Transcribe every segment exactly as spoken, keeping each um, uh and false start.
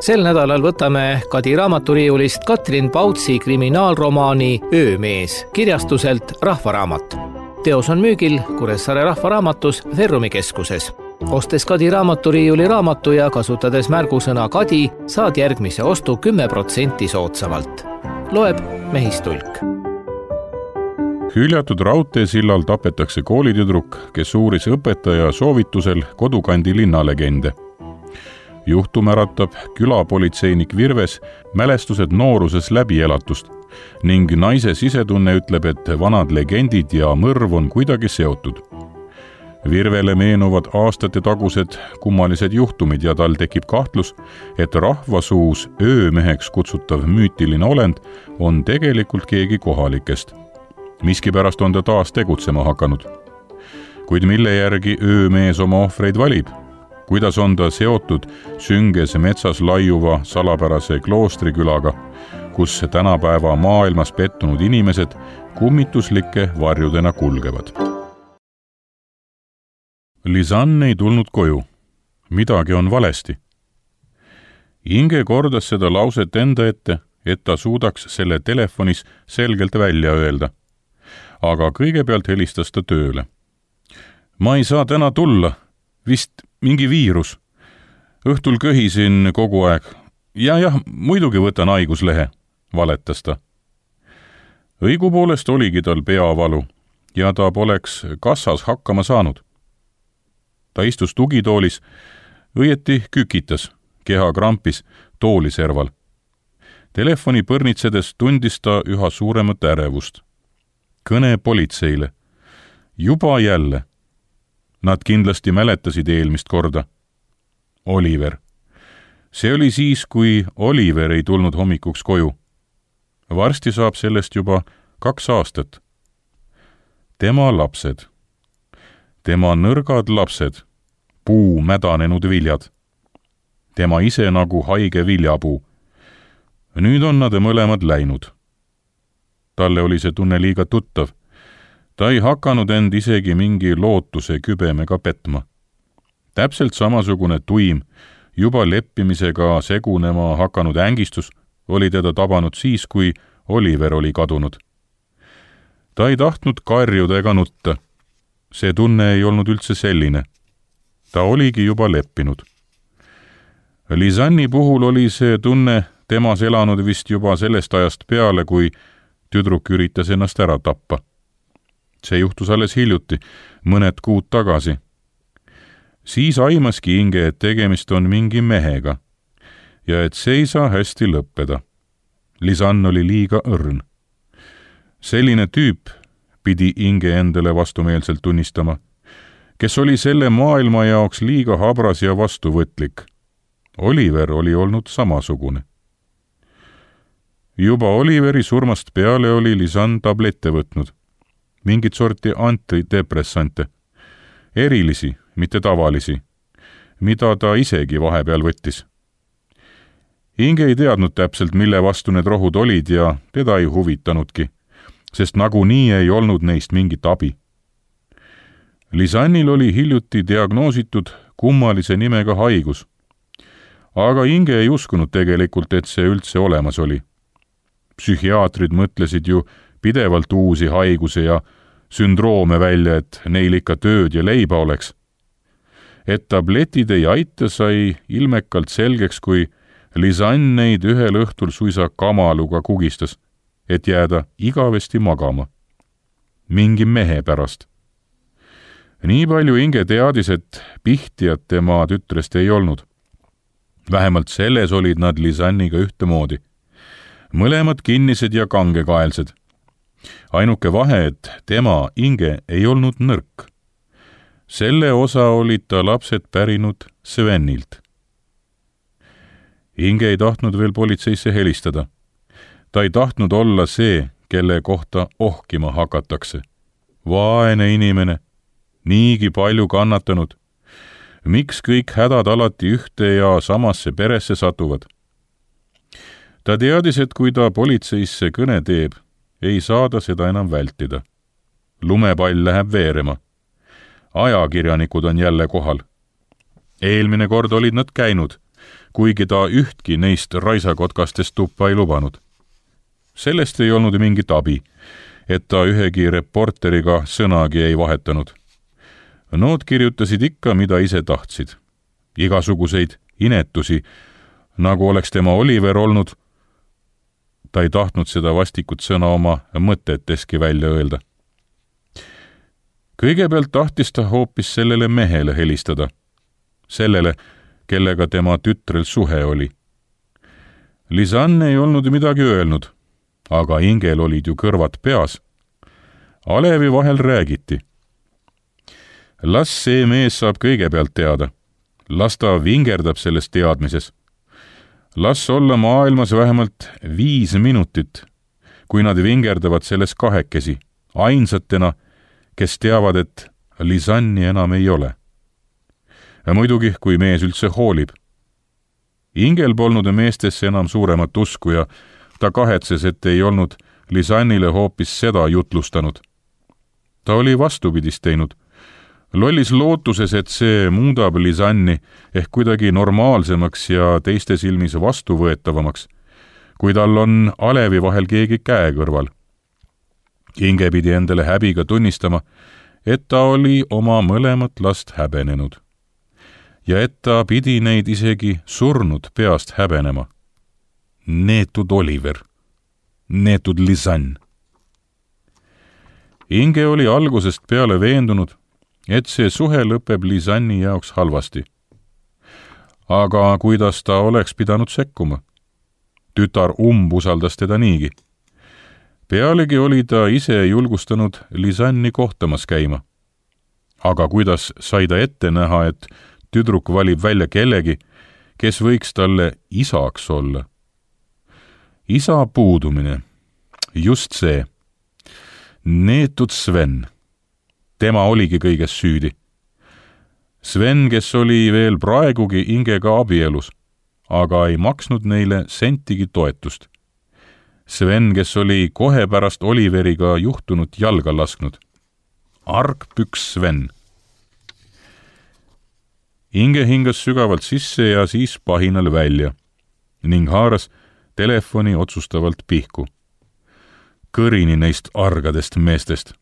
Sel nädalal võtame Kadi raamaturiiulist Katrin Pautsi kriminaalromaani Öömees kirjastuselt Rahvaraamat. Teos on müügil Kuressaare Rahvaraamatus Ferrumi keskuses. Ostes Kadi raamaturiiuli raamatu ja kasutades märgusõna Kadi, saad järgmise ostu kümme protsenti soodsamalt. Loeb Mehistulk. Hüljatud raudteesillal tapetakse koolitüdruk, kes uuris õpetaja soovitusel kodukandi linnalegende. Juhtum äratab külapolitseinik Virves mälestused nooruses läbielatust ning naise sisetunne ütleb, et vanad legendid ja mõrv on kuidagi seotud. Virvele meenuvad aastate tagused kummalised juhtumid ja tal tekib kahtlus, et rahvasuus öömeheks kutsutav müütiline olend on tegelikult keegi kohalikest. Miskipärast on ta taas tegutsema hakanud. Kuid mille järgi öömees oma ohvreid valib? Kuidas on ta seotud sünges metsas laiuva salapärase kloostrikülaga, kus tänapäeva maailmas pettunud inimesed kummituslike varjudena kulgevad? Lisanne ei tulnud koju. Midagi on valesti. Inge kordas seda lauset enda ette, et ta suudaks selle telefonis selgelt välja öelda. Aga kõigepealt helistas ta tööle. Ma ei saa täna tulla. Vist mingi viirus. Õhtul köhisin kogu aeg. Ja jah, muidugi võtan haiguslehe, valetas ta. Õigupoolest oligi tal peavalu ja ta poleks kassas hakkama saanud. Ta istus tugitoolis, õieti kükitas, keha krampis tooli serval. Telefoni põrnitsedes tundis ta üha suuremat ärevust. Kõne politseile. Juba jälle. Nad kindlasti mäletasid eelmist korda. Oliver. See oli siis, kui Oliver ei tulnud hommikuks koju. Varsti saab sellest juba kaks aastat. Tema lapsed. Tema nõrgad lapsed. Puu mädanenud viljad. Tema ise nagu haige viljapuu. Nüüd on nad mõlemad läinud. Talle oli see tunne liiga tuttav. Ta ei hakanud end isegi mingi lootuse kübemega petma. Täpselt samasugune tuim, juba leppimisega segunema hakanud ängistus oli teda tabanud siis, kui Oliver oli kadunud. Ta ei tahtnud karjuda ega nutta. See tunne ei olnud üldse selline. Ta oligi juba leppinud. Lisanni puhul oli see tunne temas elanud vist juba sellest ajast peale, kui tüdruk üritas ennast ära tappa. See juhtus alles hiljuti, mõned kuud tagasi. Siis aimaski Inge, et tegemist on mingi mehega ja et see ei saa hästi lõppeda. Lisann oli liiga õrn. Selline tüüp, pidi Inge endale vastumeelselt tunnistama, kes oli selle maailma jaoks liiga habras ja vastuvõtlik. Oliver oli olnud samasugune. Juba Oliveri surmast peale oli Lisann tablette võtnud. Mingit sorti antidepressante. Erilisi, mitte tavalisi, mida ta isegi vahepeal võttis. Inge ei teadnud täpselt, mille vastu need rohud olid ja teda ei huvitanudki, sest nagunii ei olnud neist mingit abi. Lisannil oli hiljuti diagnoositud kummalise nimega haigus, aga Inge ei uskunud tegelikult, et see üldse olemas oli. Psühhiaatrid mõtlesid ju pidevalt uusi haiguse ja sündroome välja, et neil ikka tööd ja leiba oleks. Et tabletid ei aita, sai ilmekalt selgeks, kui Lisann neid ühel õhtul suisa kamaluga kugistas, et jääda igavesti magama. Mingi mehe pärast. Nii palju Inge teadis, et pihtijad tema tütrest ei olnud. Vähemalt selles olid nad Lisanniga ühtemoodi. Mõlemad kinnised ja kangekaelsed. Ainuke vahe, et tema, Inge, ei olnud nõrk. Selle osa olid ta lapsed pärinud Svenilt. Inge ei tahtnud veel politseisse helistada. Ta ei tahtnud olla see, kelle kohta ohkima hakatakse. Vaene inimene, niigi palju kannatanud. Miks kõik hädad alati ühte ja samasse peresse satuvad? Ta teadis, et kui ta politseisse kõne teeb, ei saada seda enam vältida. Lumepall läheb veerema. Ajakirjanikud on jälle kohal. Eelmine kord olid nad käinud, kuigi ta ühtki neist raisakotkastest tuppa ei lubanud. Sellest ei olnud mingit abi, et ta ühegi reporteriga sõnagi ei vahetanud. Nood kirjutasid ikka, mida ise tahtsid. Igasuguseid inetusi, nagu oleks tema Oliver olnud. Ta ei tahtnud seda vastikut sõna oma mõteteski välja öelda. Kõigepealt tahtis ta hoopis sellele mehele helistada. Sellele, kellega tema tütrel suhe oli. Lisanne ei olnud midagi öelnud, aga Ingel olid ju kõrvad peas. Alevi vahel räägiti. Las see mees saab kõigepealt teada. Las ta vingerdab selles teadmises. Las olla maailmas vähemalt viis minutit, kui nad vingerdavad selles kahekesi, ainsatena, kes teavad, et Lisanni enam ei ole. Ja muidugi, kui mees üldse hoolib. Ingel polnud meestesse enam suuremat usku ja ta kahetses, et ei olnud Lisannile hoopis seda jutlustanud. Ta oli vastupidist teinud. Lollis lootuses, et see muudab Lisanni ehk kuidagi normaalsemaks ja teiste silmis vastuvõetavamaks, kui tal on Alevi vahel keegi käe kõrval. Inge pidi endale häbiga tunnistama, et ta oli oma mõlemat last häbenenud. Ja et ta pidi neid isegi surnud peast häbenema. Neetud Oliver. Neetud Lisann. Inge oli algusest peale veendunud, et see suhe lõpeb Lisanni jaoks halvasti. Aga kuidas ta oleks pidanud sekkuma? Tütar umbusaldas teda niigi. Pealegi oli ta ise julgustanud Lisanni kohtamas käima. Aga kuidas sai ta ette näha, et tüdruk valib välja kellegi, kes võiks talle isaks olla? Isa puudumine. Just see. Neetud Sven. Tema oligi kõiges süüdi. Sven, kes oli veel praegugi Ingega abielus, aga ei maksnud neile sentigi toetust. Sven, kes oli kohe pärast Oliveriga juhtunut jalga lasknud. Argpüks Sven. Inge hingas sügavalt sisse ja siis pahinal välja ning haaras telefoni otsustavalt pihku. Kõrini neist argadest meestest.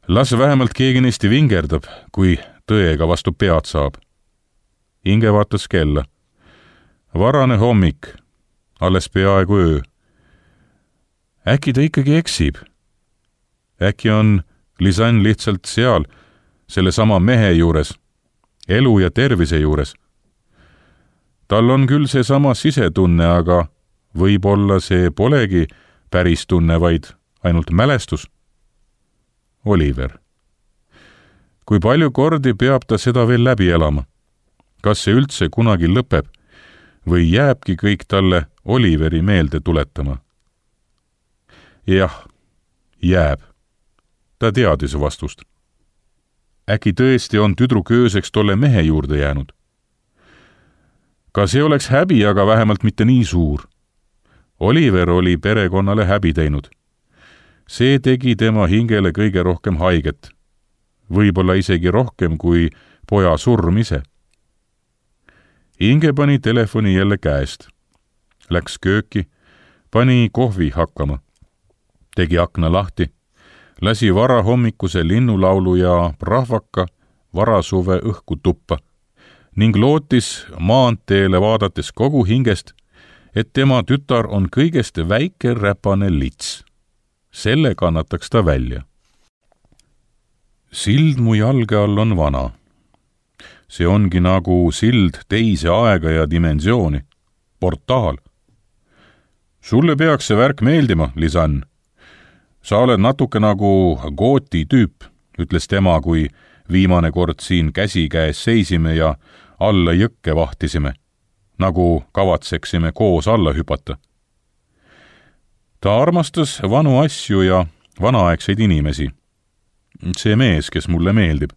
Las vähemalt keegi neist vingerdab, kui tõega vastu pead saab. Inge vaatas kella. Varane hommik, alles peaaegu öö. Äkki ta ikkagi eksib? Äkki on Lisann lihtsalt seal, selle sama mehe juures, elu ja tervise juures. Tal on küll see sama sisetunne, aga võib-olla see polegi päris tunne, vaid ainult mälestus. Oliver. Kui palju kordi peab ta seda veel läbi elama? Kas see üldse kunagi lõpeb või jääbki kõik talle Oliveri meelde tuletama? Jah, jääb. Ta teadis vastust. Äkki tõesti on tüdruk ööseks tolle mehe juurde jäänud? Ka see oleks häbi, aga vähemalt mitte nii suur. Oliver oli perekonnale häbi teinud. See tegi tema hingele kõige rohkem haiget. Võib-olla isegi rohkem kui poja surm ise. Inge pani telefoni jälle käest. Läks kööki, pani kohvi hakkama. Tegi akna lahti, lasi varahommikuse linnulaulu ja rahvaka varasuve õhku tuppa ning lootis maanteele vaadates kogu hingest, et tema tütar on kõigest väike räpane lits. Selle kannataks ta välja. Sild mu jalge all on vana. See ongi nagu sild teise aega ja dimensiooni. Portaal. Sulle peaks see värk meeldima, Lisann. Sa oled natuke nagu gooti tüüp, ütles tema, kui viimane kord siin käsi käes seisime ja alla jõkke vahtisime, nagu kavatseksime koos alla hüpata. Ta armastas vanu asju ja vanaaegseid inimesi. See mees, kes mulle meeldib.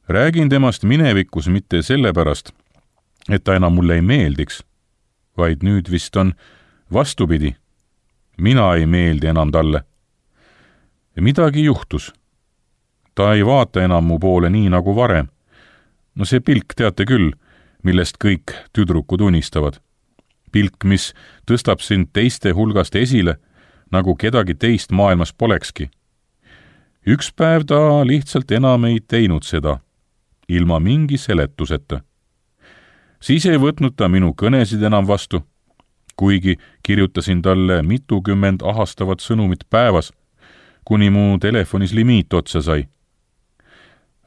Räägin temast minevikus mitte sellepärast, et ta enam mulle ei meeldiks, vaid nüüd vist on vastupidi. Mina ei meeldi enam talle. Midagi juhtus. Ta ei vaata enam mu poole nii nagu varem. No see pilk, teate küll, millest kõik tüdrukud unistavad. Pilk, mis tõstab sind teiste hulgast esile, nagu kedagi teist maailmas polekski. Üks päev ta lihtsalt enam ei teinud seda, ilma mingi seletuseta. Siis ei võtnud ta minu kõnesid enam vastu, kuigi kirjutasin talle mitukümmend ahastavat sõnumit päevas, kuni mu telefonis limiit otsa sai.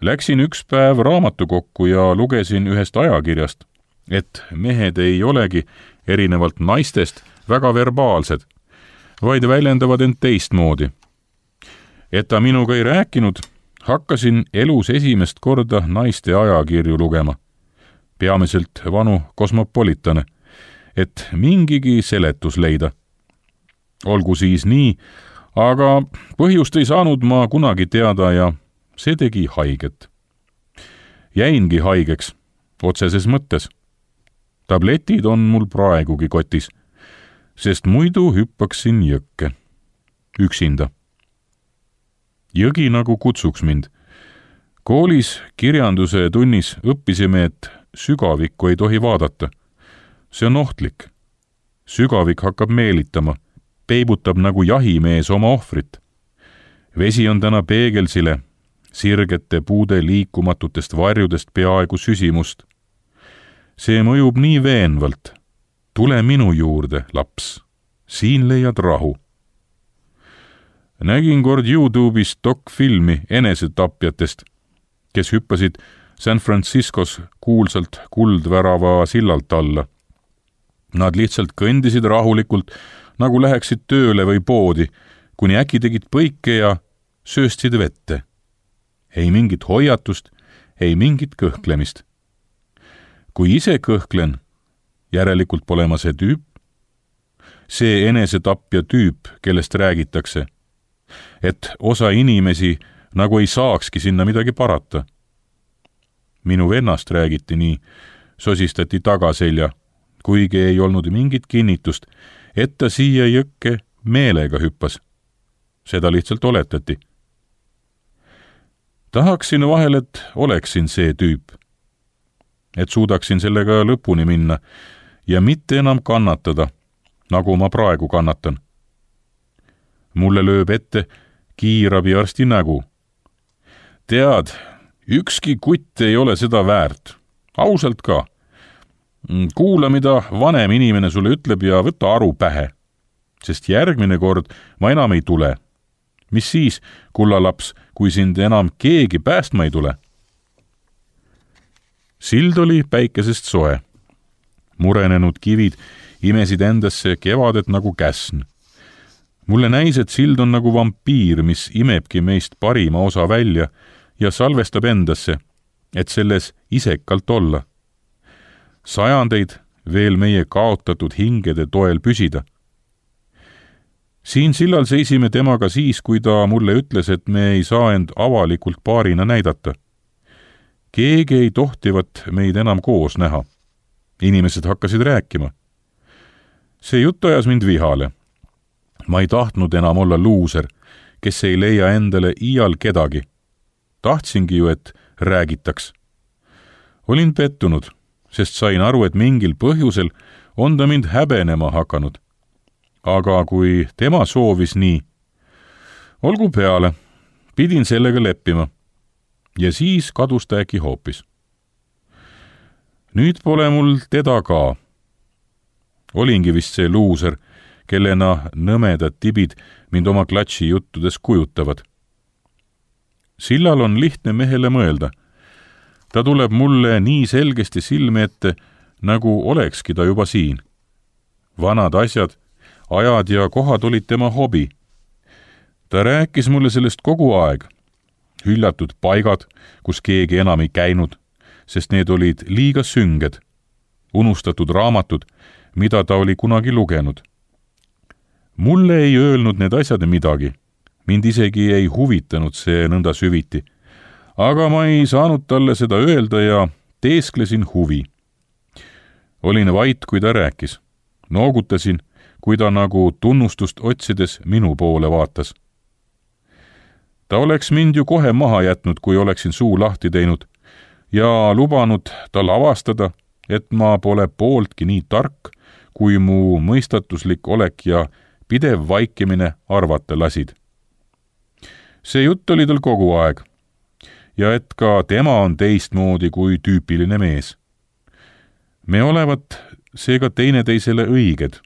Läksin üks päev raamatukokku ja lugesin ühest ajakirjast, et mehed ei olegi erinevalt naistest väga verbaalsed, vaid väljendavad end teistmoodi. Et ta minuga ei rääkinud, hakkasin elus esimest korda naiste ajakirju lugema, peamiselt vanu kosmopolitane, et mingigi seletus leida. Olgu siis nii, aga põhjust ei saanud ma kunagi teada ja see tegi haiget. Jäingi haigeks, otseses mõttes. Tabletid on mul praegugi kotis, sest muidu hüppaksin jõkke. Üksinda. Jõgi nagu kutsuks mind. Koolis kirjanduse tunnis õppisime, et sügavikku ei tohi vaadata. See on ohtlik. Sügavik hakkab meelitama, peibutab nagu jahimees oma ohvrit. Vesi on täna peegelsile, sirgete puude liikumatutest varjudest peaaegu süsimust. See mõjub nii veenvalt. Tule minu juurde, laps. Siin leiad rahu. Nägin kord YouTube'is dokfilmi enesetapjatest, kes hüppasid San Franciscos kuulsalt kuldvärava sillalt alla. Nad lihtsalt kõndisid rahulikult, nagu läheksid tööle või poodi, kuni äkki tegid põike ja sööstsid vette. Ei mingit hoiatust, ei mingit kõhklemist. Kui ise kõhklen, järelikult pole ma see tüüp. See enesetapja tüüp, kellest räägitakse, et osa inimesi nagu ei saakski sinna midagi parata. Minu vennast räägiti nii, sosistati tagaselja, kuigi ei olnud mingit kinnitust, et ta siia jõkke meelega hüppas. Seda lihtsalt oletati. Tahaksin vahel, et oleksin see tüüp, et suudaksin sellega lõpuni minna ja mitte enam kannatada, nagu ma praegu kannatan. Mulle lööb ette kiirabiarsti nägu. Tead, ükski kutt ei ole seda väärt. Ausalt ka. Kuula, mida vanem inimene sulle ütleb ja võta aru pähe. Sest järgmine kord ma enam ei tule. Mis siis, kullalaps, kui sind enam keegi päästma ei tule? Sild oli päikesest soe. Murenenud kivid imesid endasse kevadet nagu käsn. Mulle näis, et sild on nagu vampiir, mis imebki meist parima osa välja ja salvestab endasse, et selles isekalt olla. Sajandeid veel meie kaotatud hingede toel püsida. Siin sillal seisime temaga siis, kui ta mulle ütles, et me ei saa end avalikult paarina näidata. Keegi ei tohtivat meid enam koos näha. Inimesed hakkasid rääkima. See jutt ajas mind vihale. Ma ei tahtnud enam olla luuser, kes ei leia endale iial kedagi. Tahtsingi ju, et räägitaks. Olin pettunud, sest sain aru, et mingil põhjusel on ta mind häbenema hakanud. Aga kui tema soovis nii, olgu peale, pidin sellega leppima. Ja siis kadus ta äkki hoopis. Nüüd pole mul teda ka. Olingi vist see luuser, kellena nõmedad tibid mind oma klatši juttudes kujutavad. Sillal on lihtne mehele mõelda. Ta tuleb mulle nii selgesti silme ette, nagu olekski ta juba siin. Vanad asjad, ajad ja kohad olid tema hobi. Ta rääkis mulle sellest kogu aeg. Hüljatud paigad, kus keegi enam ei käinud, sest need olid liiga sünged. Unustatud raamatud, mida ta oli kunagi lugenud. Mulle ei öelnud need asjad midagi. Mind isegi ei huvitanud see nõnda süviti. Aga ma ei saanud talle seda öelda ja teesklesin huvi. Olin vait, kui ta rääkis. Noogutasin, kui ta nagu tunnustust otsides minu poole vaatas. Ta oleks mind ju kohe maha jätnud, kui oleksin suu lahti teinud ja lubanud tal avastada, et ma pole pooltki nii tark, kui mu mõistatuslik olek ja pidev vaikimine arvata lasid. See jutt oli tal kogu aeg ja et ka tema on teistmoodi kui tüüpiline mees. Me olevat seega teineteisele õiged.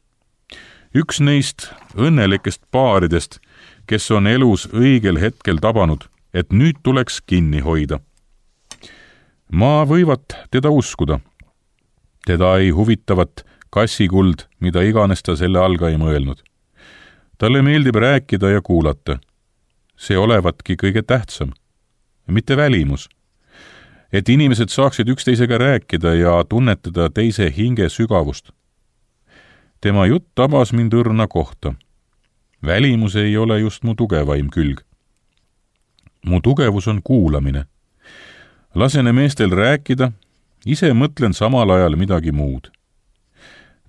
Üks neist õnnelikest paaridest, kes on elus õigel hetkel tabanud, et nüüd tuleks kinni hoida. Ma võivat teda uskuda. Teda ei huvitavat kassikuld, mida iganes ta selle alga ei mõelnud. Talle meeldib rääkida ja kuulata. See olevatki kõige tähtsam. Mitte välimus. Et inimesed saaksid üksteisega rääkida ja tunnetada teise hinge sügavust. Tema jutt tabas mind õrna kohta. Välimus ei ole just mu tugevaim külg. Mu tugevus on kuulamine. Lasene meestel rääkida, ise mõtlen samal ajal midagi muud.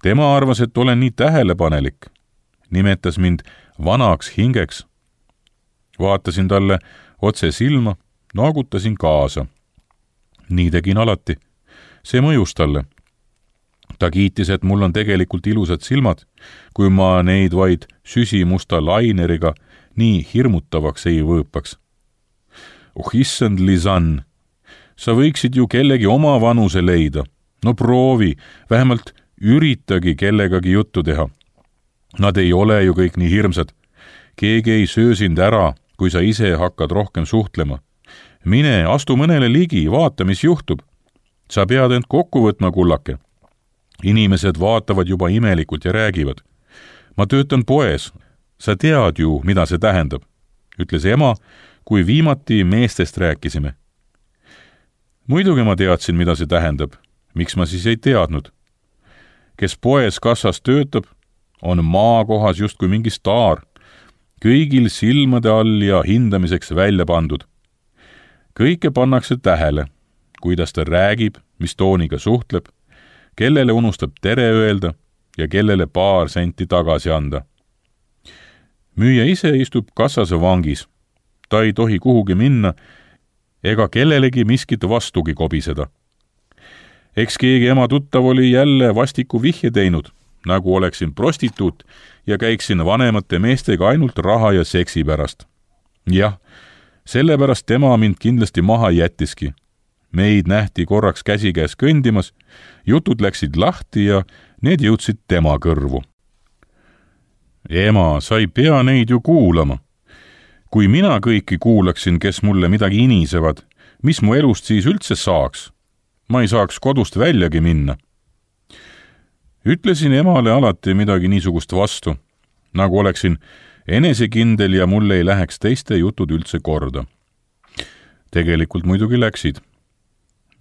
Tema arvas, et olen nii tähelepanelik. Nimetas mind vanaks hingeks. Vaatasin talle otse silma, naagutasin kaasa. Nii tegin alati. See mõjus talle. Ta kiitis, et mul on tegelikult ilusad silmad, kui ma neid vaid süsimusta laineriga nii hirmutavaks ei võõpaks. Oh issand, Lisann, sa võiksid ju kellegi oma vanuse leida. No proovi, vähemalt üritagi kellegagi juttu teha. Nad ei ole ju kõik nii hirmsad. Keegi ei söö sind ära, kui sa ise hakkad rohkem suhtlema. Mine, astu mõnele ligi, vaata, mis juhtub. Sa pead end kokku võtma, kullake. Inimesed vaatavad juba imelikult ja räägivad. Ma töötan poes. Sa tead ju, mida see tähendab, ütles ema, kui viimati meestest rääkisime. Muidugi ma teadsin, mida see tähendab. Miks ma siis ei teadnud? Kes poes kassas töötab, on maakohas justkui mingi staar, kõigil silmade all ja hindamiseks välja pandud. Kõike pannakse tähele, kuidas ta räägib, mis tooniga suhtleb, kellele unustab tere öelda ja kellele paar senti tagasi anda. Müüja ise istub kassase vangis. Ta ei tohi kuhugi minna ega kellelegi miskit vastugi kobiseda. Eks keegi ema tuttav oli jälle vastiku vihje teinud, nagu oleksin prostituut ja käiksin vanemate meestega ainult raha ja seksi pärast. Jah, sellepärast tema mind kindlasti maha jättiski. Meid nähti korraks käsikäes kõndimas, jutud läksid lahti ja need jõudsid tema kõrvu. Ema, sa ei pea neid ju kuulama. Kui mina kõiki kuulaksin, kes mulle midagi inisevad, mis mu elust siis üldse saaks? Ma ei saaks kodust väljagi minna. Ütlesin emale alati midagi niisugust vastu, nagu oleksin enesekindel ja mul ei läheks teiste jutud üldse korda. Tegelikult muidugi läksid.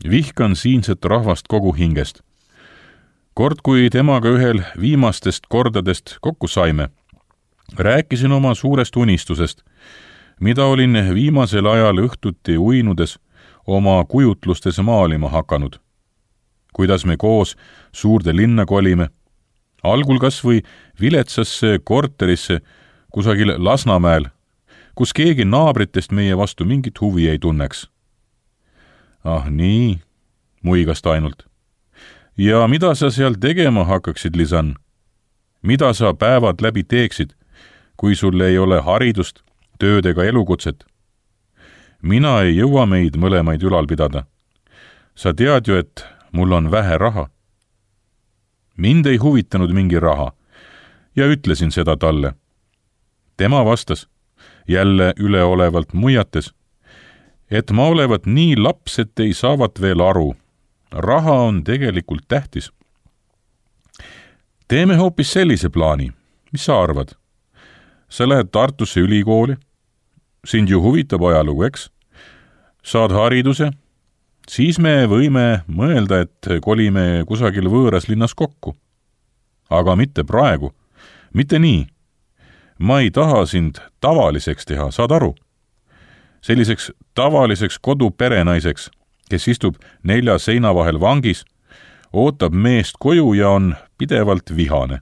Vihkan siinset rahvast kogu hingest. Kord, kui temaga ühel viimastest kordadest kokku saime, rääkisin oma suurest unistusest, mida olin viimasel ajal õhtuti uinudes oma kujutlustes maalima hakanud. Kuidas me koos suurde linna kolime, algul kas või viletsasse korterisse kusagil Lasnamäel, kus keegi naabritest meie vastu mingit huvi ei tunneks. Ah nii, muigas ta ainult. Ja mida sa seal tegema hakkaksid, Lisann? Mida sa päevad läbi teeksid, kui sul ei ole haridust, tööd ega elukutset? Mina ei jõua meid mõlemaid ülal pidada. Sa tead ju, et mul on vähe raha. Mind ei huvitanud mingi raha ja ütlesin seda talle. Tema vastas, jälle üleolevalt muiates, et ma olevat nii laps, et ei saavat veel aru. Raha on tegelikult tähtis. Teeme hoopis sellise plaani. Mis sa arvad? Sa lähed Tartusse ülikooli. Sind ju huvitab ajalugu, eks? Saad hariduse. Siis me võime mõelda, et kolime kusagil võõras linnas kokku. Aga mitte praegu. Mitte nii. Ma ei taha sind tavaliseks teha, saad aru? Selliseks tavaliseks koduperenaiseks, kes istub nelja seina vahel vangis, ootab meest koju ja on pidevalt vihane.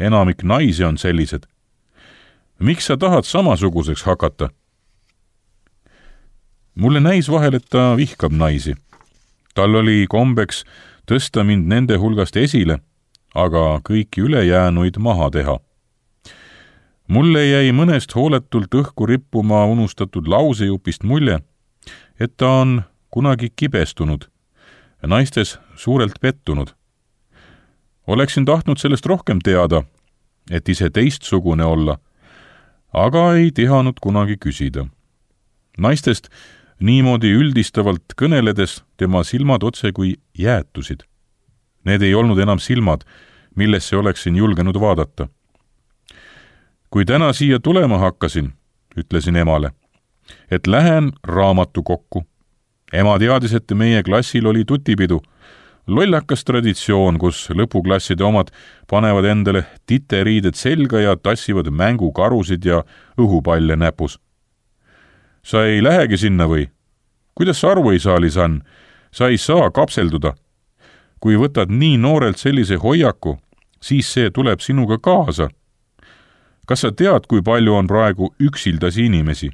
Enamik naisi on sellised. Miks sa tahad samasuguseks hakata? Mulle näis vahel, et ta vihkab naisi. Tal oli kombeks tõsta mind nende hulgast esile, aga kõiki ülejäänuid maha teha. Mulle jäi mõnest hooletult õhku rippuma unustatud lausejupist mulje, et ta on kunagi kibestunud, naistes suurelt pettunud. Oleksin tahtnud sellest rohkem teada, et ise teistsugune olla, aga ei tihanud kunagi küsida. Naistest niimoodi üldistavalt kõneledes tema silmad otse kui jäätusid. Need ei olnud enam silmad, millesse oleksin julgenud vaadata. Kui täna siia tulema hakkasin, ütlesin emale, et lähen raamatukokku. Ema teadis, et meie klassil oli tutipidu, lollakas traditsioon, kus lõpuklasside omad panevad endale titeriided selga ja tassivad mängukarusid ja õhupalle näpus. Sa ei lähegi sinna või? Kuidas sa aru ei saa, Lisan? Sa ei saa kapselduda. Kui võtad nii noorelt sellise hoiaku, siis see tuleb sinuga kaasa. Kas sa tead, kui palju on praegu üksildasi inimesi?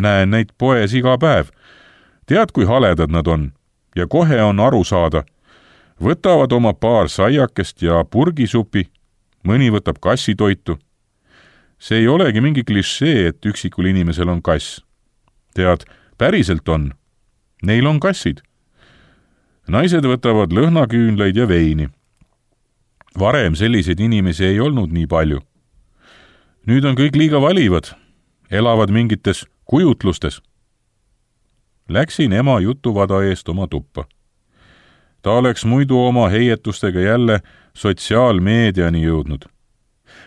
Näen neid poes iga päev. Tead, kui haledad nad on? Ja kohe on aru saada. Võtavad oma paar saiakest ja purgisupi, mõni võtab kassitoitu. See ei olegi mingi klišee, et üksikul inimesel on kass. Tead, päriselt on. Neil on kassid. Naised võtavad lõhnaküünlaid ja veini. Varem selliseid inimesi ei olnud nii palju. Nüüd on kõik liiga valivad, elavad mingites kujutlustes. Läksin ema jutuvada eest oma tuppa. Ta oleks muidu oma heietustega jälle sotsiaalmeediani jõudnud.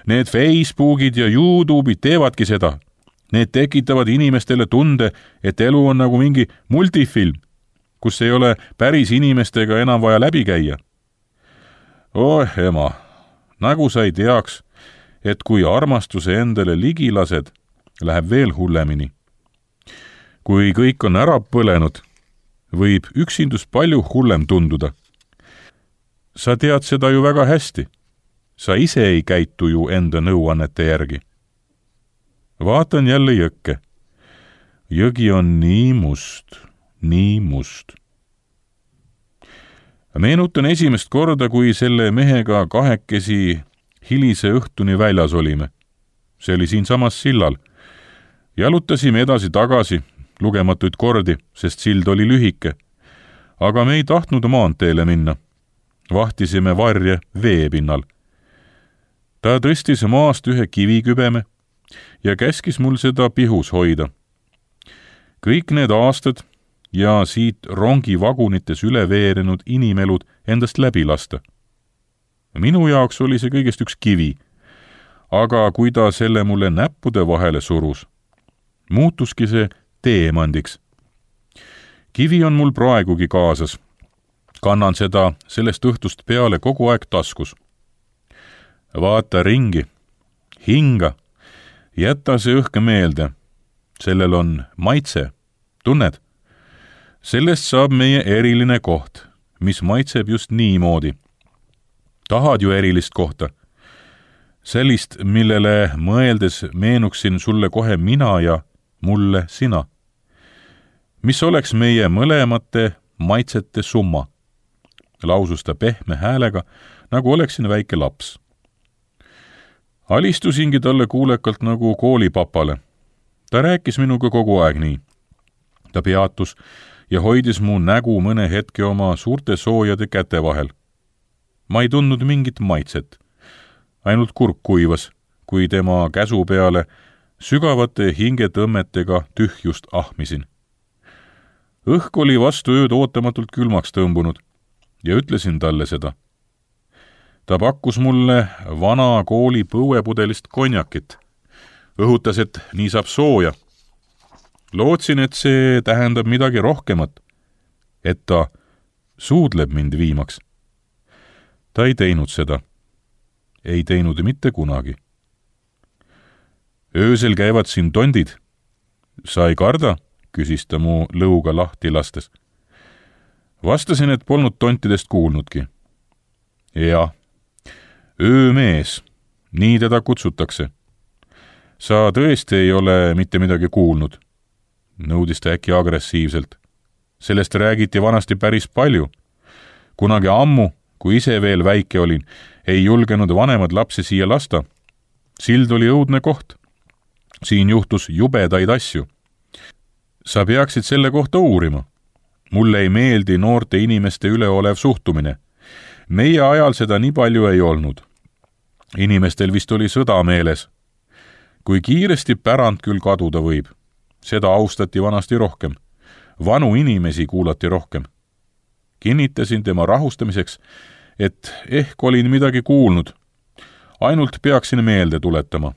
Need Facebookid ja YouTube'id teevadki seda. Need tekitavad inimestele tunde, et elu on nagu mingi multifilm, kus ei ole päris inimestega enam vaja läbi käia. Oh, ema, nagu sa ei teaks, et kui armastuse endale ligi lased, läheb veel hullemini. Kui kõik on ära põlenud, võib üksindus palju hullem tunduda. Sa tead seda ju väga hästi. Sa ise ei käitu ju enda nõuannete järgi. Vaatan jälle jõkke. Jõgi on nii must, nii must. Meenutan esimest korda, kui selle mehega kahekesi hilise õhtuni väljas olime. See oli siinsamas sillal. Jalutasime edasi tagasi, lugematuid kordi, sest sild oli lühike. Aga me ei tahtnud maanteele minna. Vahtisime varje veepinnal. Ta tõstis maast ühe kivikübeme ja käskis mul seda pihus hoida. Kõik need aastad ja siit rongi vagunites üle veerenud inimelud endast läbi lasta. Minu jaoks oli see kõigest üks kivi, aga kui ta selle mulle näppude vahele surus, muutuski see teemandiks. Kivi on mul praegugi kaasas. Kannan seda sellest õhtust peale kogu aeg taskus. Vaata ringi, hinga, jäta see õhk meelde. Sellel on maitse, tunned? Sellest saab meie eriline koht, mis maitseb just niimoodi. Tahad ju erilist kohta? Sellist, millele mõeldes meenuksin sulle kohe mina ja mulle sina. Mis oleks meie mõlemate maitsete summa? Lausus ta pehme häälega, nagu oleksin väike laps. Alistusingi talle kuulekalt nagu koolipapale. Ta rääkis minuga kogu aeg nii. Ta peatus ja hoidis mu nägu mõne hetke oma suurte soojade käte vahel. Ma ei tundnud mingit maitset. Ainult kurk kuivas, kui tema käsu peale sügavate hingetõmmetega tühjust ahmisin. Õhk oli vastu ööd ootamatult külmaks tõmbunud ja ütlesin talle seda. Ta pakkus mulle vana kooli põuepudelist konjakit. Õhutas, et nii saab sooja. Lootsin, et see tähendab midagi rohkemat, et ta suudleb mind viimaks. Ta ei teinud seda. Ei teinud mitte kunagi. Öösel käivad siin tondid. Sa ei karda? Küsis ta mu lõuga lahti lastes. Vastasin, et polnud tontidest kuulnudki. Ja, öömees, nii teda kutsutakse. Sa tõesti ei ole mitte midagi kuulnud, nõudis ta äkki agressiivselt. Sellest räägiti vanasti päris palju. kunagi ammu, kui ise veel väike olin, ei julgenud vanemad lapsi siia lasta. Sild oli õudne koht. Siin juhtus jubedaid asju. Sa peaksid selle kohta uurima. Mulle ei meeldi noorte inimeste üleolev suhtumine. Meie ajal seda nii palju ei olnud. Inimestel vist oli sõda meeles. Kui kiiresti pärand küll kaduda võib. Seda austati vanasti rohkem. Vanu inimesi kuulati rohkem. Kinnitasin tema rahustamiseks, et ehk olin midagi kuulnud. Ainult peaksin meelde tuletama.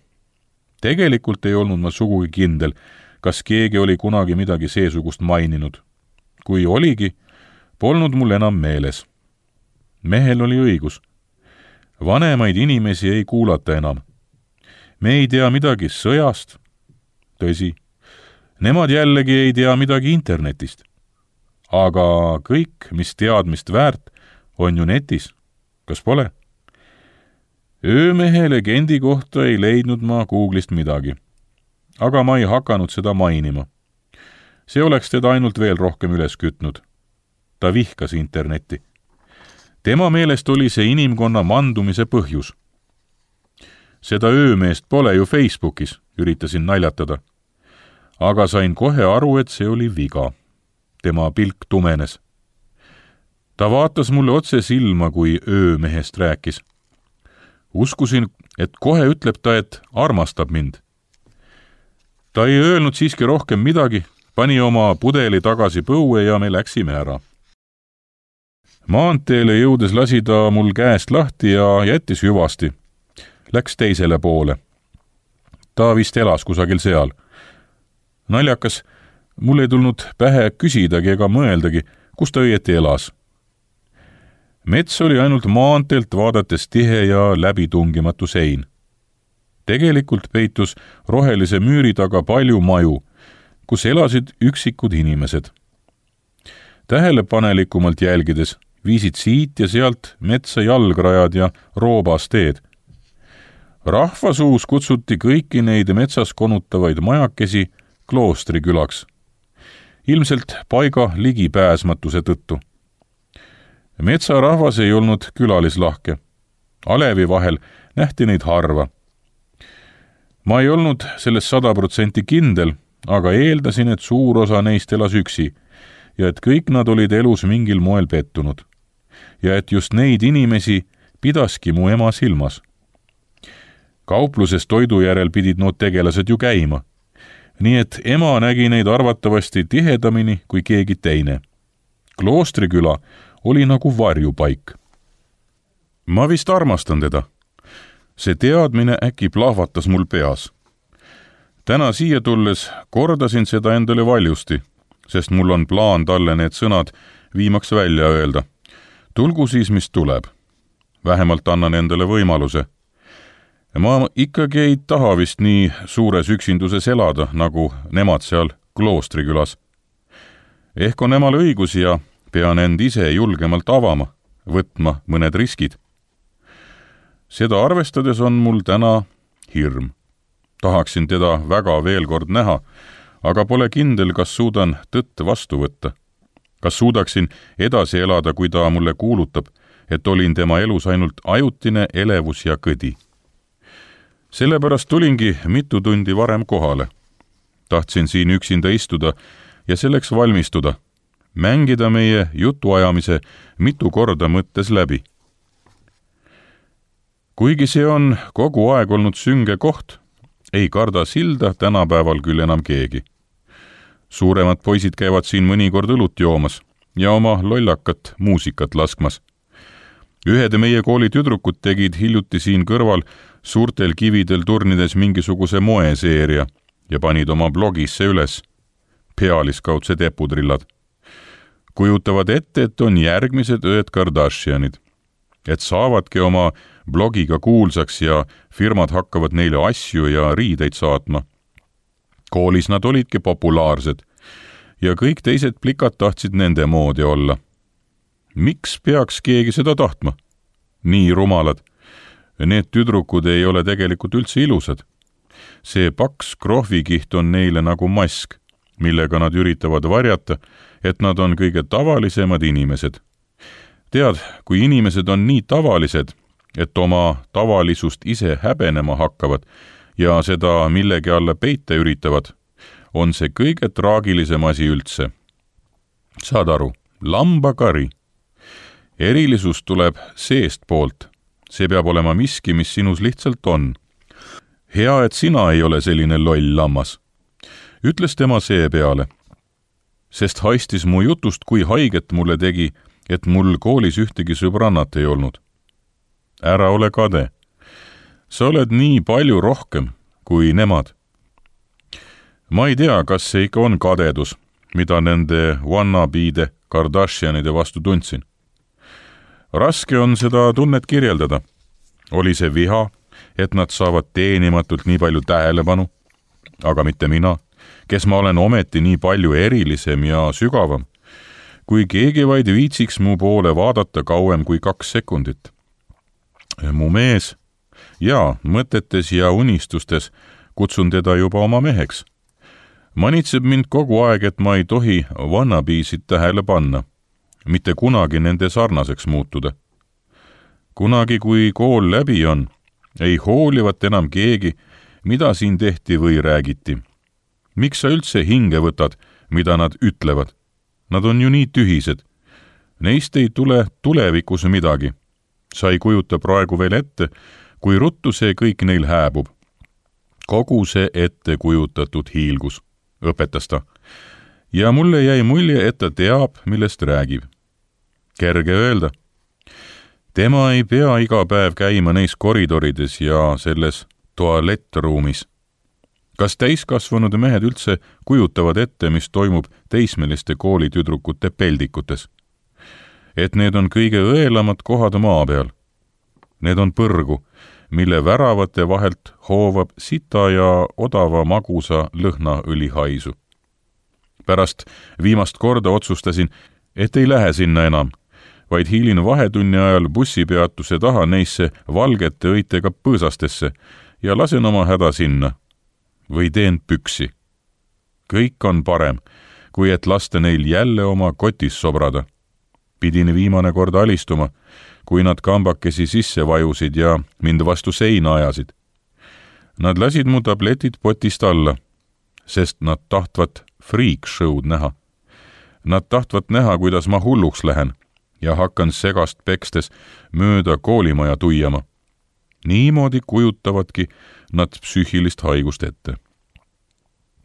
Tegelikult ei olnud ma sugugi kindel, kas keegi oli kunagi midagi seesugust maininud. Kui oligi, polnud mul enam meeles. Mehel oli õigus. Vanemaid inimesi ei kuulata enam. Me ei tea midagi sõjast. Tõsi, nemad jällegi ei tea midagi internetist. Aga kõik, mis teadmist väärt, on ju netis. Kas pole? Öömehe legendi kohta ei leidnud ma Google'ist midagi. Aga ma ei hakanud seda mainima. See oleks teda ainult veel rohkem üles kütnud. Ta vihkas internetti. Tema meelest oli see inimkonna mandumise põhjus. Seda öömeest pole ju Facebookis, üritasin naljatada. Aga sain kohe aru, et see oli viga. Tema pilk tumenes. Ta vaatas mulle otse silma, kui öömehest rääkis. Uskusin, et kohe ütleb ta, et armastab mind. Ta ei öelnud siiski rohkem midagi, pani oma pudeli tagasi põue ja me läksime ära. Maanteele jõudes lasi ta mul käest lahti ja jättis hüvasti. Läks teisele poole. Ta vist elas kusagil seal. Naljakas, mul ei tulnud pähe küsidagi ega mõeldagi, kus ta õieti elas. Mets oli ainult maanteelt vaadates tihe ja läbitungimatu sein. Tegelikult peitus rohelise müüri taga palju maju, kus elasid üksikud inimesed. Tähelepanelikumalt jälgides viisid siit ja sealt metsa jalgrajad ja roobasteed. Rahvasuus kutsuti kõiki neid metsas konutavaid majakesi kloostrikülaks. Ilmselt paiga ligipääsmatuse tõttu. Metsarahvas ei olnud külalislahke. Alevi vahel nähti neid harva. Ma ei olnud selles sada protsenti kindel, aga eeldasin, et suur osa neist elas üksi ja et kõik nad olid elus mingil moel pettunud. Ja et just neid inimesi pidaski mu ema silmas. Kaupluses toidu järel pidid nood tegelased ju käima. Nii et ema nägi neid arvatavasti tihedamini kui keegi teine. Kloostriküla oli nagu varjupaik. Ma vist armastan teda. See teadmine äkki plahvatas mul peas. Täna siia tulles kordasin seda endale valjusti, sest mul on plaan talle need sõnad viimaks välja öelda. Tulgu siis, mis tuleb. Vähemalt annan endale võimaluse. Ma ikkagi ei taha vist nii suures üksinduses elada, nagu nemad seal kloostrikülas. Ehk on emal õigus ja pean end ise julgemalt avama, võtma mõned riskid. Seda arvestades on mul täna hirm. Tahaksin teda väga veel kord näha, aga pole kindel, kas suudan tõtt vastu võtta. Kas suudaksin edasi elada, kui ta mulle kuulutab, et olin tema elus ainult ajutine elevus ja kõdi. Sellepärast tulingi mitu tundi varem kohale. Tahtsin siin üksinda istuda ja selleks valmistuda, mängida meie jutuajamise mitu korda mõttes läbi. Kuigi see on kogu aeg olnud sünge koht, ei karda silda tänapäeval küll enam keegi. Suuremad poisid käivad siin mõnikord õlut joomas ja oma lollakat muusikat laskmas. Ühed meie kooli tüdrukud tegid hiljuti siin kõrval suurtel kividel turnides mingisuguse moeseeria ja panid oma blogisse üles. Pealiskaudsed epudrillad. Kujutavad ette, et on järgmised õed Kardashianid. Et saavadki oma blogiga kuulsaks ja firmad hakkavad neile asju ja riideid saatma. Koolis nad olidki populaarsed ja kõik teised plikad tahtsid nende moodi olla. Miks peaks keegi seda tahtma? Nii rumalad. Need tüdrukud ei ole tegelikult üldse ilusad. See paks krohvikiht on neile nagu mask, millega nad üritavad varjata, et nad on kõige tavalisemad inimesed. tead, kui inimesed on nii tavalised, et oma tavalisust ise häbenema hakkavad ja seda millegi alla peita üritavad, on see kõige traagilisem asi üldse. Saad aru, lambakari. Erilisus tuleb seest poolt. See peab olema miski, mis sinus lihtsalt on. Hea, et sina ei ole selline loll lammas. Ütles tema see peale, sest haistis mu jutust, kui haiget mulle tegi, et mul koolis ühtegi sõbrannat ei olnud. Ära ole kade. Sa oled nii palju rohkem kui nemad. Ma ei tea, kas see ikka on kadedus, mida nende wannabeede Kardashianide vastu tundsin. Raske on seda tunnet kirjeldada. Oli see viha, et nad saavad teenimatult nii palju tähelepanu, aga mitte mina, kes ma olen ometi nii palju erilisem ja sügavam, kui keegi vaid viitsiks mu poole vaadata kauem kui kaks sekundit. Mu mees, ja mõtetes ja unistustes kutsun teda juba oma meheks. Manitseb mind kogu aeg, et ma ei tohi wannabeesid tähele panna, mitte kunagi nende sarnaseks muutuda. Kunagi, kui kool läbi on, ei hoolivat enam keegi, mida siin tehti või räägiti. Miks sa üldse hinge võtad, mida nad ütlevad? Nad on ju nii tühised. Neist ei tule tulevikus midagi. Sa ei kujuta praegu veel ette, kui ruttu see kõik neil hääbub. Kogu see ette kujutatud hiilgus, õpetas ta. Ja mulle jäi mulje, et ta teab, millest räägib. Kerge öelda. Tema ei pea iga päev käima neis koridorides ja selles tualettruumis. Kas täiskasvanud mehed üldse kujutavad ette, mis toimub teismeliste koolitüdrukute peldikutes? Et need on kõige õelamad kohad maa peal. Need on põrgu, mille väravate vahelt hoovab sita ja odava magusa lõhnaõli haisu. Pärast viimast korda otsustasin, et ei lähe sinna enam, vaid hiilin vahetunni ajal bussipeatuse taha neisse valgete õitega põõsastesse ja lasen oma häda sinna. Või teen püksi. Kõik on parem, kui et lasta neil jälle oma kotis sobrada. Pidin viimane kord alistuma, kui nad kambakesi sisse vajusid ja mind vastu seina ajasid. Nad lasid mu tabletid potist alla, sest nad tahtvat freak show'd näha. Nad tahtvat näha, kuidas ma hulluks lähen ja hakkan segast pekstes mööda koolimaja tuiama. Niimoodi kujutavadki nad psüühilist haigust ette.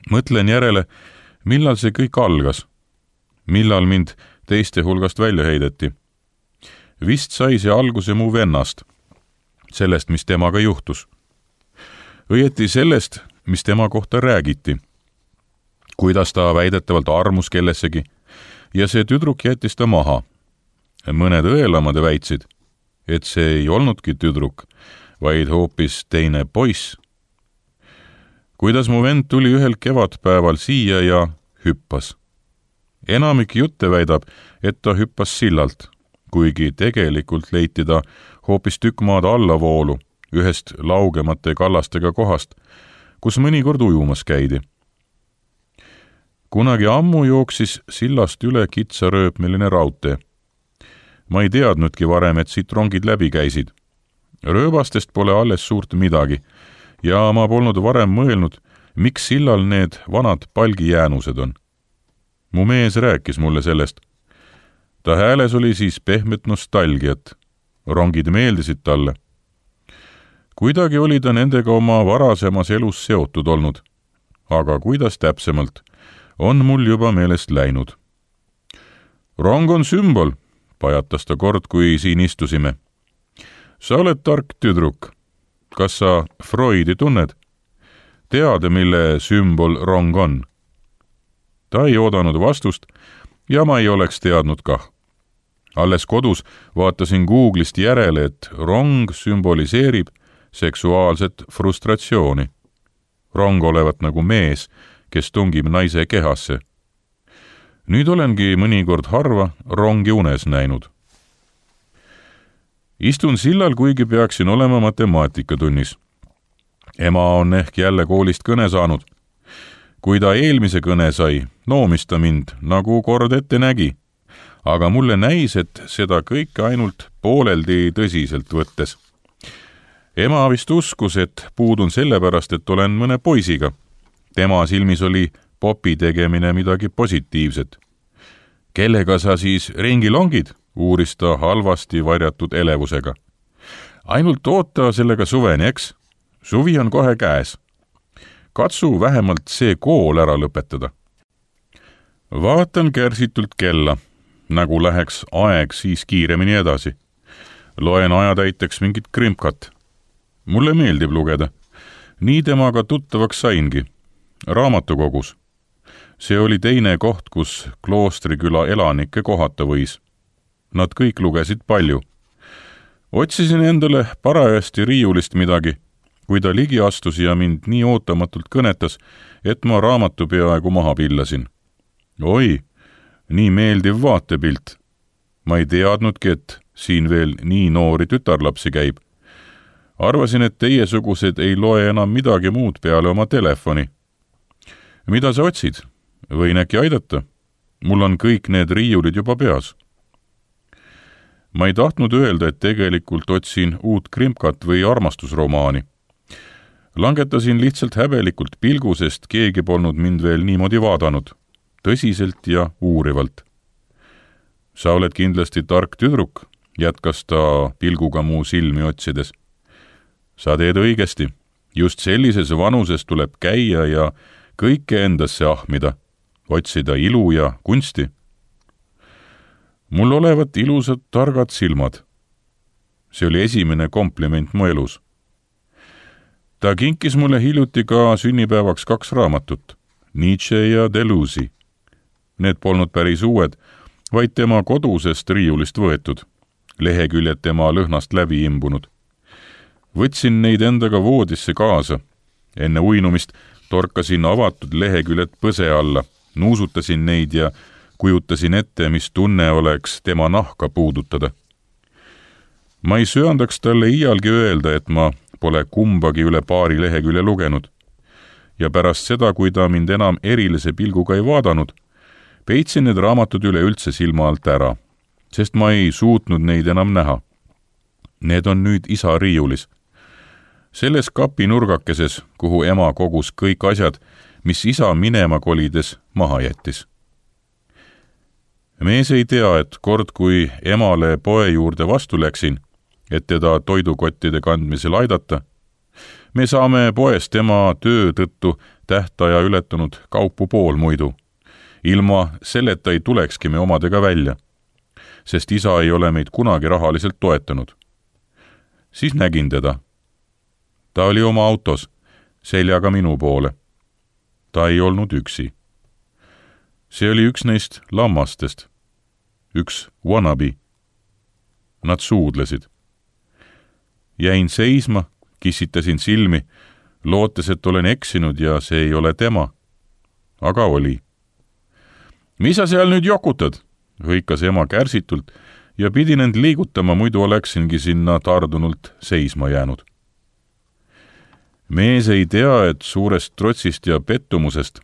Mõtlen järele, millal see kõik algas, millal mind teiste hulgast välja heideti. Vist sai see alguse mu vennast, sellest, mis temaga juhtus. Õieti sellest, mis tema kohta räägiti, kuidas ta väidetavalt armus kellessegi ja see tüdruk jättis ta maha. Mõned õelamad väitsid, et see ei olnudki tüdruk, vaid hoopis teine poiss. Kuidas mu vend tuli ühel kevadpäeval siia ja hüppas. Enamik jutte väidab, et ta hüppas sillalt, kuigi tegelikult leiti ta hoopis tükk maad allavoolu ühest laugemate kallastega kohast, kus mõnikord ujumas käidi. Kunagi ammu jooksis sillast üle kitsarööpmeline raudtee. Ma ei teadnudki varem, et siit rongid läbi käisid. Rööbastest pole alles suurt midagi ja ma polnud varem mõelnud, miks sillal need vanad palgijäänused on. Mu mees rääkis mulle sellest. Ta hääles oli siis pehmet nostalgiat. Rongid meeldisid talle. Kuidagi oli ta nendega oma varasemas elus seotud olnud, aga kuidas täpsemalt, on mul juba meelest läinud. Rong on sümbol, pajatas ta kord, kui siin istusime. Sa oled tark tüdruk. Kas sa Freudi tunned? Tead, mille sümbol rong on? Ta ei oodanud vastust ja ma ei oleks teadnud kah. Alles kodus vaatasin Googlist järele, et rong sümboliseerib seksuaalset frustratsiooni. Rong olevat nagu mees, kes tungib naise kehasse. Nüüd olengi mõnikord harva rongi unes näinud. Istun sillal, kuigi peaksin olema matemaatikatunnis. Ema on ehk jälle koolist kõne saanud. Kui ta eelmise kõne sai, noomis ta mind, nagu kord ette nägi. aga mulle näis, et seda kõike ainult pooleldi tõsiselt võttes. Ema vist uskus, et puudun sellepärast, et olen mõne poisiga. Tema silmis oli popi tegemine midagi positiivset. Kellega sa siis ringi longid, uuris ta halvasti varjatud elevusega. Ainult oota sellega suveni, eks? Suvi on kohe käes. Katsu vähemalt see kool ära lõpetada. Vaatan kärsitult kella, nagu läheks aeg siis kiiremini edasi. Loen ajatäiteks mingit krimkat. Mulle meeldib lugeda. Nii temaga tuttavaks saingi. Raamatukogus. See oli teine koht, kus Kloostriküla elanikke kohata võis. Nad kõik lugesid palju. Otsisin endale parajasti riiulist midagi, kui ta ligi astus ja mind nii ootamatult kõnetas, et ma raamatu peaaegu maha pillasin. Oi, nii meeldiv vaatepilt. Ma ei teadnudki, et siin veel nii noori tütarlapsi käib. Arvasin, et teiesugused ei loe enam midagi muud peale oma telefoni. Mida sa otsid? Võin äkki aidata? Mul on kõik need riiulid juba peas. Ma ei tahtnud öelda, et tegelikult otsin uut krimkat või armastusromaani. Langetasin lihtsalt häbelikult pilgu, sest keegi polnud mind veel niimoodi vaadanud. Tõsiselt ja uurivalt. Sa oled kindlasti tark tüdruk, jätkas ta pilguga muu silmi otsides. Sa teed õigesti. Just sellises vanuses tuleb käia ja kõike endasse ahmida, otsida ilu ja kunsti. Mul olevat ilusad targad silmad. See oli esimene kompliment mu elus. Ta kinkis mulle hiljuti ka sünnipäevaks kaks raamatut, Nietzsche ja Deleuze'i. Need polnud päris uued, vaid tema kodusest riiulist võetud, leheküljed tema lõhnast läbi imbunud. Võtsin neid endaga voodisse kaasa. Enne uinumist torkasin avatud leheküljed põse alla, nuusutasin neid ja kujutasin ette, mis tunne oleks tema nahka puudutada. Ma ei söandaks talle iialgi öelda, et ma pole kumbagi üle paari lehekülje lugenud. Ja pärast seda, kui ta mind enam erilise pilguga ei vaadanud, peitsin need raamatud üle üldse silma alt ära, sest ma ei suutnud neid enam näha. Need on nüüd isa riiulis. Selles kapi nurgakeses, kuhu ema kogus kõik asjad, mis isa minema kolides maha jättis. Mees ei tea, et kord, kui emale poe juurde vastu läksin, et teda toidukottide kandmisel aidata, me saame poest tema töö tõttu tähtaja ületanud kaupu pool muidu. Ilma selleta ei tulekski me omadega välja, sest isa ei ole meid kunagi rahaliselt toetanud. Siis nägin teda. Ta oli oma autos, seljaga minu poole. Ta ei olnud üksi. See oli üks neist lammastest. Üks wannabe. Nad suudlesid. Jäin seisma, kissitasin silmi, lootes, et olen eksinud ja see ei ole tema. Aga oli. Mis sa seal nüüd jokutad? Hõikas ema kärsitult ja pidin end liigutama, muidu oleksingi sinna tardunult seisma jäänud. Mees ei tea, et suurest trotsist ja pettumusest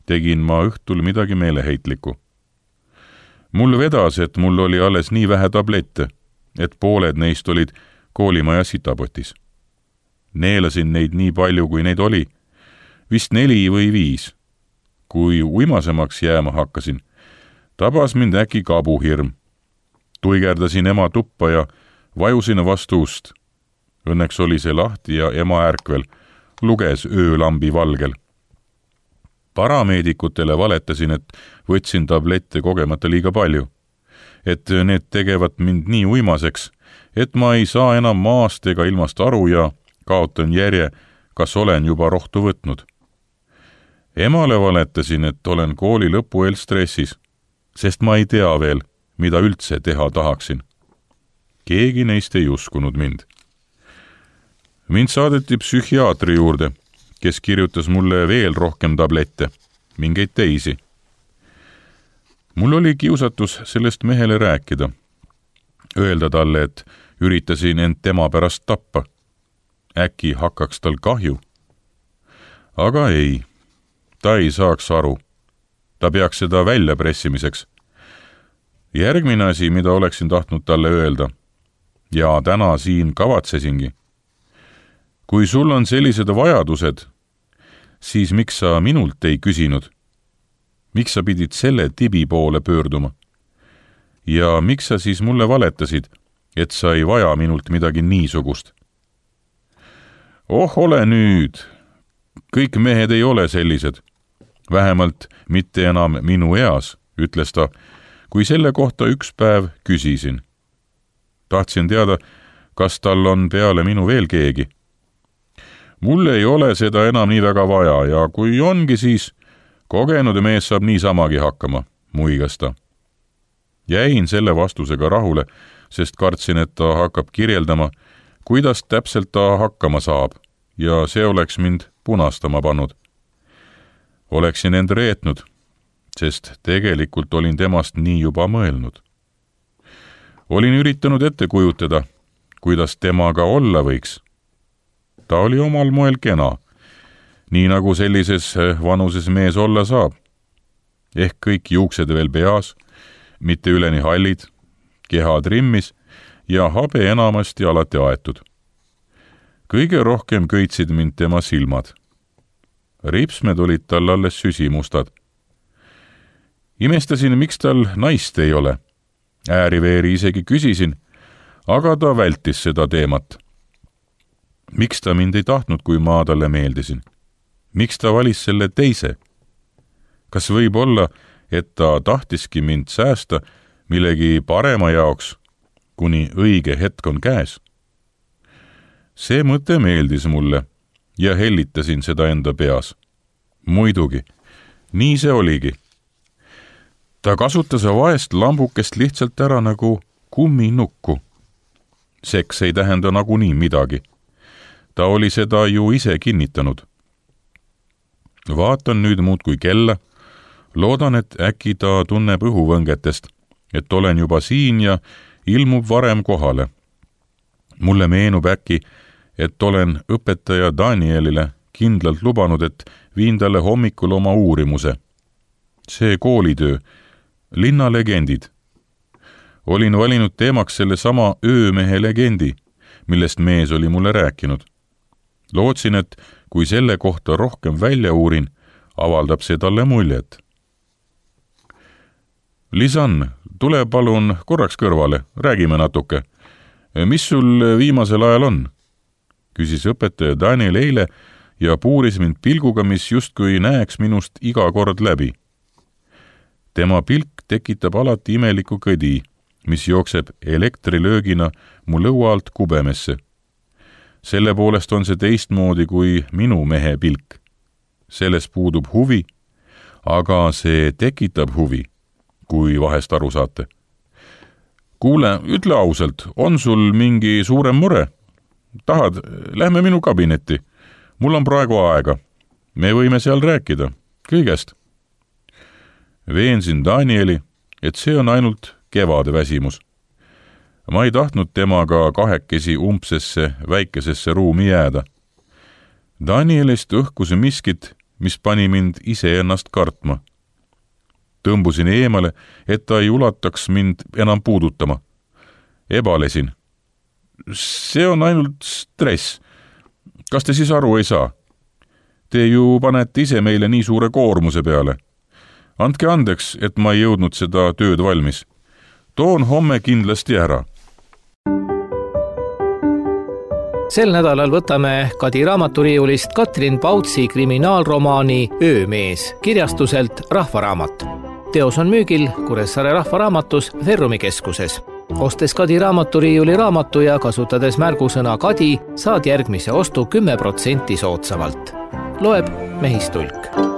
tegin ma õhtul midagi meeleheitlikku. Mul vedas, et mul oli alles nii vähe tablette, et pooled neist olid koolimaja sitapotis. Neelasin neid nii palju, kui neid oli, vist neli või viis. Kui uimasemaks jääma hakkasin, tabas mind äkki kabuhirm. Tuigerdasin ema tuppa ja vajusin vastu ust. Õnneks oli see lahti ja ema ärkvel, luges öölambi valgel. Parameedikutele valetasin, et võtsin tablette kogemata liiga palju. Et need tegevad mind nii uimaseks, et ma ei saa enam maast ega ilmast aru ja kaotan järje, kas olen juba rohtu võtnud. Emale valetasin, et olen kooli lõpu eel stressis, sest ma ei tea veel, mida üldse teha tahaksin. Keegi neist ei uskunud mind. Mind saadeti psühhiaatri juurde, kes kirjutas mulle veel rohkem tablette, mingeid teisi. Mul oli kiusatus sellest mehele rääkida. Öelda talle, et üritasin end tema pärast tappa. Äkki hakkaks tal kahju. Aga ei, ta ei saaks aru. Ta peaks seda välja pressimiseks. järgmine asi, mida oleksin tahtnud talle öelda ja täna siin kavatsesingi. Kui sul on sellised vajadused, siis miks sa minult ei küsinud? Miks sa pidid selle tibi poole pöörduma? Ja miks sa siis mulle valetasid, et sa ei vaja minult midagi niisugust? Oh, ole nüüd! Kõik mehed ei ole sellised. Vähemalt mitte enam minu eas, ütles ta, kui selle kohta üks päev küsisin. Tahtsin teada, kas tal on peale minu veel keegi. Mul ei ole seda enam nii väga vaja ja kui ongi, siis kogenud mees saab niisamagi hakkama, muigas ta. Jäin selle vastusega rahule, sest kartsin, et ta hakkab kirjeldama, kuidas täpselt ta hakkama saab ja see oleks mind punastama pannud. Oleksin end reetnud, sest tegelikult olin temast nii juba mõelnud. Olin üritanud ette kujutada, kuidas temaga olla võiks. Ta oli omal moel kena, nii nagu sellises vanuses mees olla saab. Ehk kõik juuksed veel peas, mitte üleni hallid, keha trimmis ja habe enamasti alati aetud. Kõige rohkem köitsid mind tema silmad. Ripsmed olid tal alles süsimustad. Imestasin, miks tal naist ei ole. Ääriveeri isegi küsisin, aga ta vältis seda teemat. Miks ta mind ei tahtnud, kui ma talle meeldisin? Miks ta valis selle teise? Kas võib olla, et ta tahtiski mind säästa millegi parema jaoks, kuni õige hetk on käes? See mõte meeldis mulle ja hellitasin seda enda peas. Muidugi, nii see oligi. Ta kasutas vaest lambukest lihtsalt ära nagu kumminukku. Seks ei tähenda nagunii midagi. Ta oli seda ju ise kinnitanud. Vaatan nüüd muudkui kella. Loodan, et äkki ta tunneb õhuvõngetest, et olen juba siin ja ilmub varem kohale. Mulle meenub äkki, et olen õpetaja Danielile kindlalt lubanud, et viin talle hommikul oma uurimuse. See koolitöö, linnalegendid. Olin valinud teemaks selle sama öömehe legendi, millest mees oli mulle rääkinud. Lootsin, et kui selle kohta rohkem välja uurin, avaldab see talle muljet. Lisan, tule palun korraks kõrvale, räägime natuke. Mis sul viimasel ajal on? Küsis õpetaja Daniel eile ja puuris mind pilguga, mis justkui näeks minust iga kord läbi. Tema pilk tekitab alati imeliku kõdi, mis jookseb elektrilöögina mu lõua alt kubemesse. Selle poolest on see teistmoodi kui minu mehe pilk. Selles puudub huvi, aga see tekitab huvi, kui vahest aru saate. Kuule, ütle ausalt, on sul mingi suurem mure? Tahad, lähme minu kabinetti. Mul on praegu aega. Me võime seal rääkida. Kõigest. Veensin Danieli, et see on ainult kevade väsimus. Ma ei tahtnud temaga kahekesi umbsesse väikesesse ruumi jääda. Danielist õhkus miskit, mis pani mind ise ennast kartma. Tõmbusin eemale, et ta ei ulataks mind enam puudutama. Ebalesin. See on ainult stress. Kas te siis aru ei saa? Te ju panete ise meile nii suure koormuse peale. Andke andeks, et ma ei jõudnud seda tööd valmis. Toon homme kindlasti ära. Sel nädalal võtame Kadi raamaturiiulist Katrin Pautsi kriminaalromaani Öömees kirjastuselt Rahvaraamat. Teos on müügil Kuressaare Rahvaraamatus Ferrumi keskuses. Ostes Kadi raamaturiiuli raamatu ja kasutades märgusõna Kadi, saad järgmise ostu kümme protsenti soodsamalt. Loeb Mehistulk.